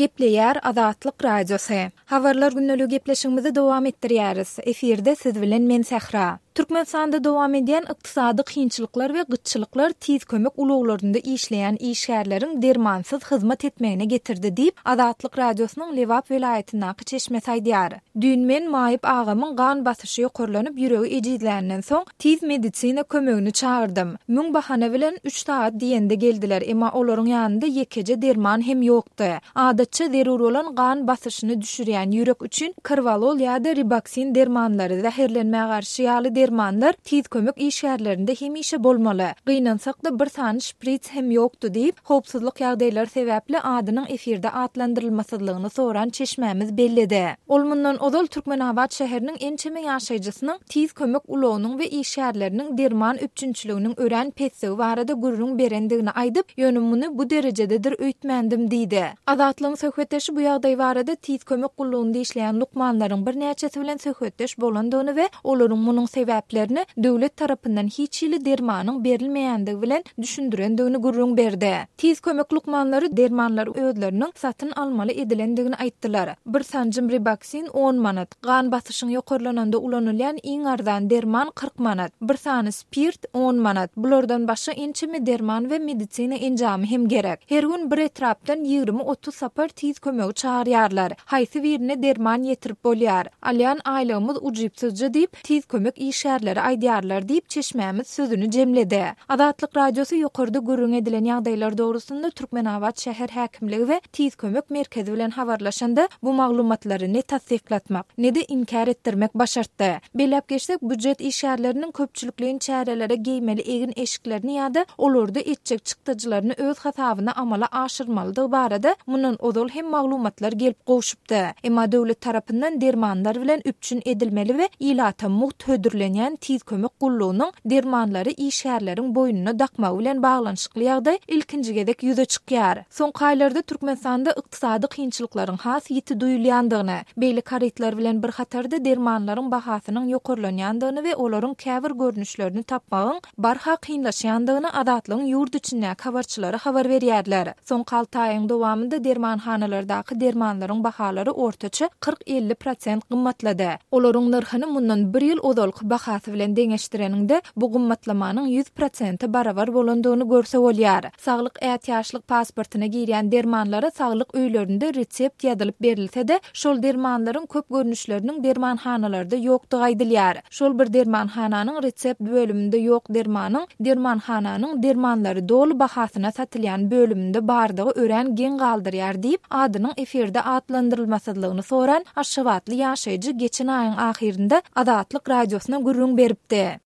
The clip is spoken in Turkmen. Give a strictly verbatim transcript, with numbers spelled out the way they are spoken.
Gepleýär Azatlyk Radiosy. Habarlar gündeligi gepleşigimizi dowam etdirýäris. Efirde siz bilen men Sähra. Türkmenistanda dowam edýän ykdysady kynçylyklar we gytçylyklar tiz kömek ulaglarynda işleýän işgärleriň dermansyz hyzmat etmegine getirdi diýip, Azatlyk Radiosynyň Lebap welaýatyndaky çeşmesi aýdýar. Düýn men maýyp agamyň gan basyşy ýokarlanyp, ýüregi ejizländen soň, tiz medisina kömegini çagyrdym. Müň bahana bilen üç sagat diýende geldiler, emma olaryň ýanynda ýekeje derman hem ýokdy. Adatça zerur bolan gan basyşyny düşürýän ýürek üçin Korvalol ýa-da Ribaksin dermanlary, zäherlenmä garşy ýaly dermanlar tiz kömek işgärlerinde hemişe bolmaly. Gynansak-da, bir sany şprits hem ýokdy diýip, howpsuzlyk ýagdaýlary sebäpli adynyň efirde atlandyrylmasyzlygyny soran çeşmämiz belledi. Ol mundan ozal Türkmenabat şäheriniň ençeme ýaşaýjysynyň tiz kömek ulagynyň we işgärleriniň derman üpjünçiliginiň örän pesdigi barada gürrüň berendigini aýdyp, ýöne muny bu derejededir öýtmändim diýdi. Azatlygyň söhbetdeşi bu ýagdaý barada tiz kömek gullugynda işleýän lukmanlaryň birnäçesi bilen söhbetdeş bolandygyny we olaryň munuň sebäplerini döwlet tarapyndan hiç hili dermanyň berilmeýändigi bilen düşündirendigini gürrüň berdi. Tiz kömek lukmanlary dermanlary özleriniň satyn almaly edilendigini aýtdylar. Bir sanjym Ribaksin on manat, gan basyşyň ýokarlananda ulanylýan iň arzan derman kyrk manat, bir sany spirt on manat, bulardan başga ençeme derman we medisina enjamy hem gerek. Her gün bir etrapdan ýigrimi-otuz sapar tiz kömegi çagyrýarlar. Haýsy birine derman ýetirip bolýar? Alýan aýlygymyz ujypsyzja diýip, tiz kömek işgärleri aýdýarlar diýip, çeşmämiz sözüni jemledi. Azatlyk Radiosy ýokarda gürrüň edilen ýagdaýlar dogrusynda Türkmenabat şäher häkimligi we tiz kömek merkezi bilen habarlaşanda bu maglumatlary ne tassyklatmak, ne-de inkär etdirmek başartdy. Belläp geçsek, býujet işgärleriniň köpçülikleýin çärelere geýmeli egin-eşiklerini ýa-da olarda etjek çykdajylaryny öz hasabyna amala aşyrmalydygy barada mundan ozal hem maglumatlar gelip gowşupdy. Emma döwlet tarapyndan dermanlar bilen üpjün edilmeli we ilata mugt hödürlenýän tiz kömek gullugynyň dermanlary işgärleriň boýnuna dakmagy bilen baglanyşykly ýagdaý ilkinji gezek ýüze çykýar. Soňky aýlarda Türkmenistanda ykdysady kynçylyklaryň has ýiti duýulýandygyny, beýleki harytlar bilen bir hatarda dermanlaryň bahasynyň ýokarlanýandygyny we olaryň käbir görnüşlerini tapmagyň barha kynlaşýandygyny Azatlygyň ýurt içindäki habarçylary habar berýärler. Soňky alty aýyň dowamynda dermanhanalardaky dermanlaryň bahalary ortaça kyrk-elli prosent gymmatlady. Olaryň nyrhyny mundan bir ýyl ozalky bahasy bilen deňeşdireniňde bu gymmatlamanyň ýüz prosente barabar bolandygyny görse bolýar. Saglyk ätiýaçlyk pasportyna girýän dermanlara saglyk öýlerinde resept ýazylyp berilse-de, şol dermanlaryň köp görnüşleriniň dermanhanalarda ýokdugy aýdylýar. Şol bir dermanhananyň resept bölüminde ýok dermanyň dermanhananyň dermanlary doly bahasyna satylýan bölüminde bardygy örän geň galdyrýar diýip, adynyň efirde atlandyrylmasyzlygyny soran aşgabatly ýaşaýjy geçen aýyň ahyrynda Azatlyk Radiosyna gürrüň beripdi.